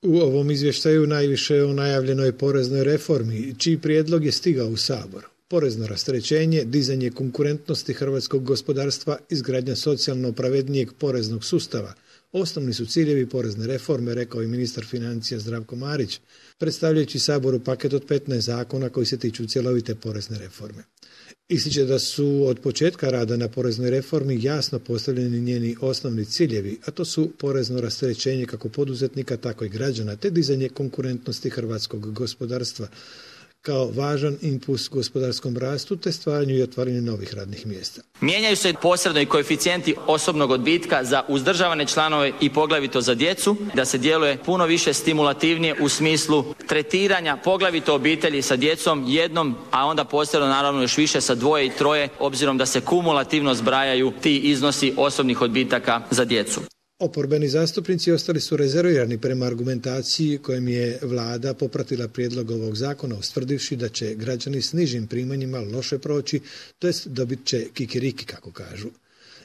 U ovom izvještaju najviše o najavljenoj poreznoj reformi, čiji prijedlog je stigao u Sabor. Porezno rasterećenje, dizanje konkurentnosti hrvatskog gospodarstva, izgradnja socijalno pravednijeg poreznog sustava. Osnovni su ciljevi porezne reforme, rekao je ministar financija Zdravko Marić, predstavljajući Saboru paket od 15 zakona koji se tiču cjelovite porezne reforme. Ističe da su od početka rada na poreznoj reformi jasno postavljeni njeni osnovni ciljevi, a to su porezno rasterećenje kako poduzetnika, tako i građana, te dizanje konkurentnosti hrvatskog gospodarstva kao važan impuls gospodarskom rastu te stvaranju i otvaranju novih radnih mjesta. Mijenjaju se posredno i koeficijenti osobnog odbitka za uzdržavane članove i poglavito za djecu, da se djeluje puno više stimulativnije u smislu tretiranja poglavito obitelji sa djecom jednom, a onda posredno naravno još više sa 2 i 3, obzirom da se kumulativno zbrajaju ti iznosi osobnih odbitaka za djecu. Oporbeni zastupnici ostali su rezervirani prema argumentaciji kojom je vlada popratila prijedlog ovog zakona, ustvrdivši da će građani s nižim primanjima loše proći, to jest dobit će kikiriki, kako kažu.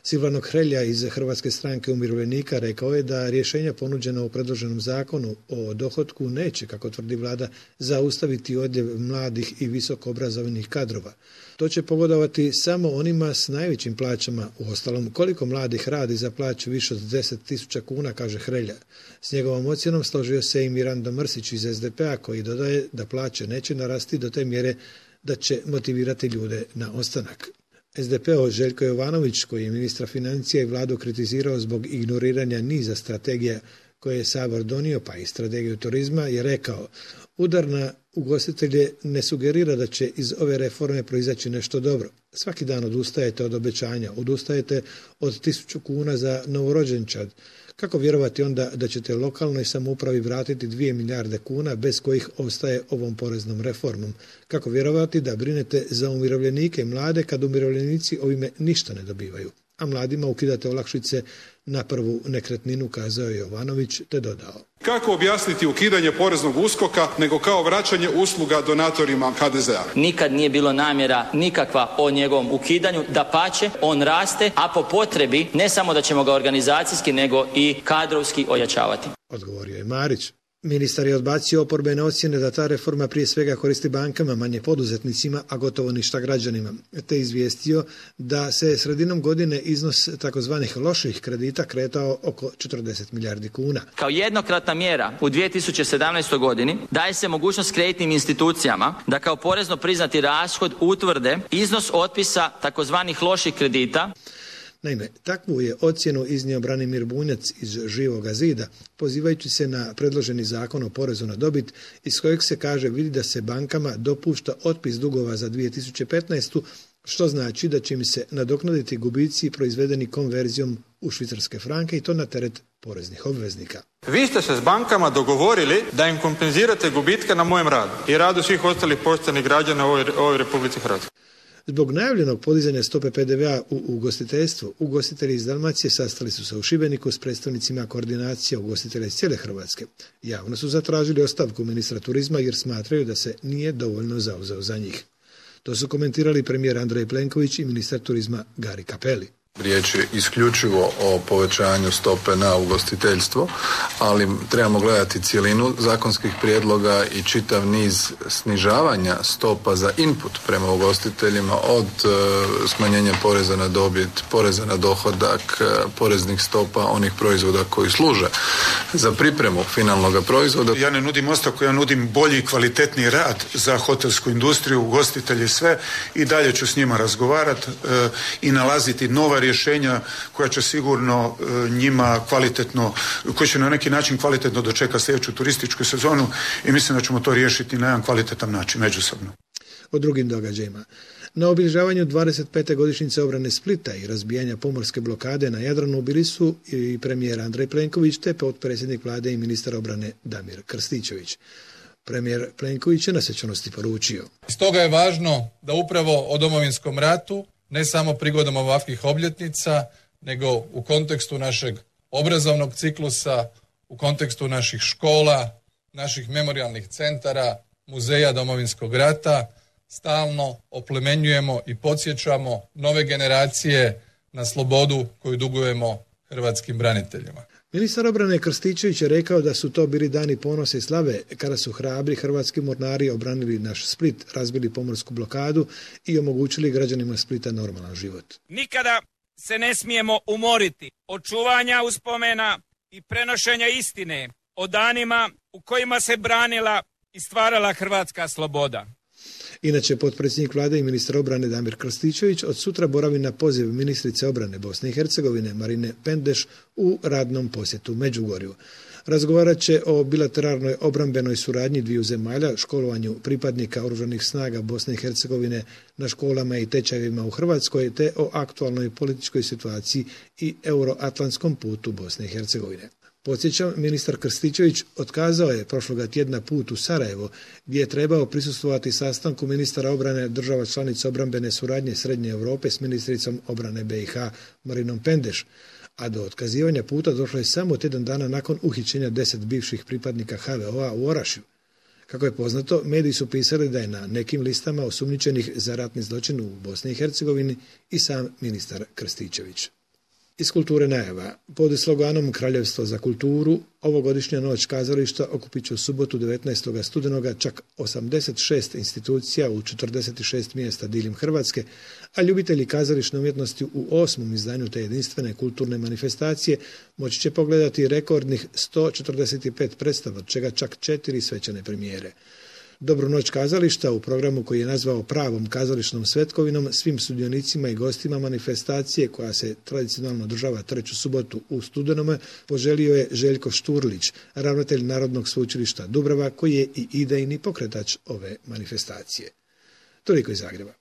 Silvano Hrelja iz Hrvatske stranke umirovljenika rekao je da rješenja ponuđena u predloženom zakonu o dohotku neće, kako tvrdi vlada, zaustaviti odljev mladih i visoko obrazovanih kadrova. To će pogodovati samo onima s najvećim plaćama. Uostalom, koliko mladih radi za plaću više od 10.000 kuna, kaže Hrelja. S njegovom ocjenom složio se i Mirando Mrsić iz SDP-a, koji dodaje da plaće neće narasti do te mjere da će motivirati ljude na ostanak. SDP-o Željko Jovanović, koji je ministra financija i vladu kritizirao zbog ignoriranja niza strategija koje je Sabor donio, pa i strategiju turizma, je rekao: udar na ugostitelje ne sugerira da će iz ove reforme proizaći nešto dobro. Svaki dan odustajete od obećanja, odustajete od 1.000 kuna za novorođenčad. Kako vjerovati onda da ćete lokalnoj samoupravi vratiti 2 milijarde kuna bez kojih ostaje ovom poreznom reformom? Kako vjerovati da brinete za umirovljenike i mlade kad umirovljenici ovime ništa ne dobivaju? A mladima ukidate olakšice na prvu nekretninu, kazao je Jovanović, te dodao: kako objasniti ukidanje poreznog USKOK-a nego kao vraćanje usluga donatorima HDZ-a? Nikad nije bilo namjera nikakva o njegovom ukidanju, dapače, on raste, a po potrebi ne samo da ćemo ga organizacijski nego i kadrovski ojačavati. Odgovorio je Marić. Ministar je odbacio oporbene ocjene da ta reforma prije svega koristi bankama, manje poduzetnicima, a gotovo ništa građanima, te izvijestio da se sredinom godine iznos takozvanih loših kredita kretao oko 40 milijardi kuna. Kao jednokratna mjera u 2017. godini daje se mogućnost kreditnim institucijama da kao porezno priznati rashod utvrde iznos otpisa takozvanih loših kredita. Naime, takvu je ocjenu iznio Branimir Bunjac iz Živoga zida, pozivajući se na predloženi zakon o porezu na dobit, iz kojeg se kaže vidi da se bankama dopušta otpis dugova za 2015. što znači da će im se nadoknaditi gubici proizvedeni konverzijom u švicarske franke i to na teret poreznih obveznika. Vi ste se s bankama dogovorili da im kompenzirate gubitke na mojem radu i radu svih ostalih poštenih građana u ovoj Republici Hrvatskoj. Zbog najavljenog podizanja stope PDV-a u ugostiteljstvu, ugostitelji iz Dalmacije sastali su se u Šibeniku s predstavnicima koordinacija ugostitelja iz cijele Hrvatske. Javno su zatražili ostavku ministra turizma jer smatraju da se nije dovoljno zauzeo za njih. To su komentirali premijer Andrej Plenković i ministar turizma Gari Cappelli. Riječ je isključivo o povećanju stope na ugostiteljstvo, ali trebamo gledati cjelinu zakonskih prijedloga i čitav niz snižavanja stopa za input prema ugostiteljima, od smanjenja poreza na dobit, poreza na dohodak, poreznih stopa onih proizvoda koji služe za pripremu finalnog proizvoda. Ja ne nudim ostavku, ja nudim bolji i kvalitetniji rad za hotelsku industriju, ugostitelji, sve, i dalje ću s njima razgovarati i nalaziti nova rješenja koja će sigurno njima kvalitetno, koji će na neki način kvalitetno dočekati sljedeću turističku sezonu i mislim da ćemo to riješiti na jedan kvalitetan način međusobno. O drugim događajima. Na obilježavanju 25. godišnjice obrane Splita i razbijanja pomorske blokade na Jadranu bili su i premijer Andrej Plenković te potpredsjednik vlade i ministar obrane Damir Krstičević. Premijer Plenković je na svečanosti poručio: stoga je važno da upravo o Domovinskom ratu, ne samo prigodom ovakvih obljetnica, nego u kontekstu našeg obrazovnog ciklusa, u kontekstu naših škola, naših memorijalnih centara, muzeja Domovinskog rata, stalno oplemenjujemo i podsjećamo nove generacije na slobodu koju dugujemo hrvatskim braniteljima. Ministar obrane Krstičević je rekao da su to bili dani ponose i slave kada su hrabri hrvatski mornari obranili naš Split, razbili pomorsku blokadu i omogućili građanima Splita normalan život. Nikada se ne smijemo umoriti od čuvanja uspomena i prenošenja istine o danima u kojima se branila i stvarala hrvatska sloboda. Inače, potpredsjednik vlade i ministar obrane Damir Krstičević od sutra boravi na poziv ministrice obrane Bosne i Hercegovine Marine Pendeš u radnom posjetu Međugorju. Razgovarat će o bilateralnoj obrambenoj suradnji dviju zemalja, školovanju pripadnika oružanih snaga Bosne i Hercegovine na školama i tečajevima u Hrvatskoj, te o aktualnoj političkoj situaciji i euroatlantskom putu Bosne i Hercegovine. Podsjećam, ministar Krstičević otkazao je prošloga tjedna put u Sarajevo, gdje je trebao prisustvovati sastanku ministara obrane država članica obrambene suradnje Srednje Europe s ministricom obrane BiH Marinom Pendeš, a do otkazivanja puta došlo je samo tjedan dana nakon uhićenja 10 bivših pripadnika HVO-a u Orašju. Kako je poznato, mediji su pisali da je na nekim listama osumnjičenih za ratni zločin u Bosni i Hercegovini i sam ministar Krstičević. Iz kulture najava. Pod sloganom Kraljevstvo za kulturu, ovogodišnja noć kazališta okupit će u subotu 19. studenoga čak 86 institucija u 46 mjesta diljem Hrvatske, a ljubitelji kazališne umjetnosti u 8. izdanju te jedinstvene kulturne manifestacije moći će pogledati rekordnih 145 predstava, od čega čak 4 svečane premijere. Dobru noć kazališta u programu koji je nazvao pravom kazališnom svetkovinom svim sudionicima i gostima manifestacije koja se tradicionalno održava treću subotu u studenome poželio je Željko Šturlić, ravnatelj Narodnog sveučilišta Dubrava, koji je i idejni pokretač ove manifestacije. Toliko iz Zagreba.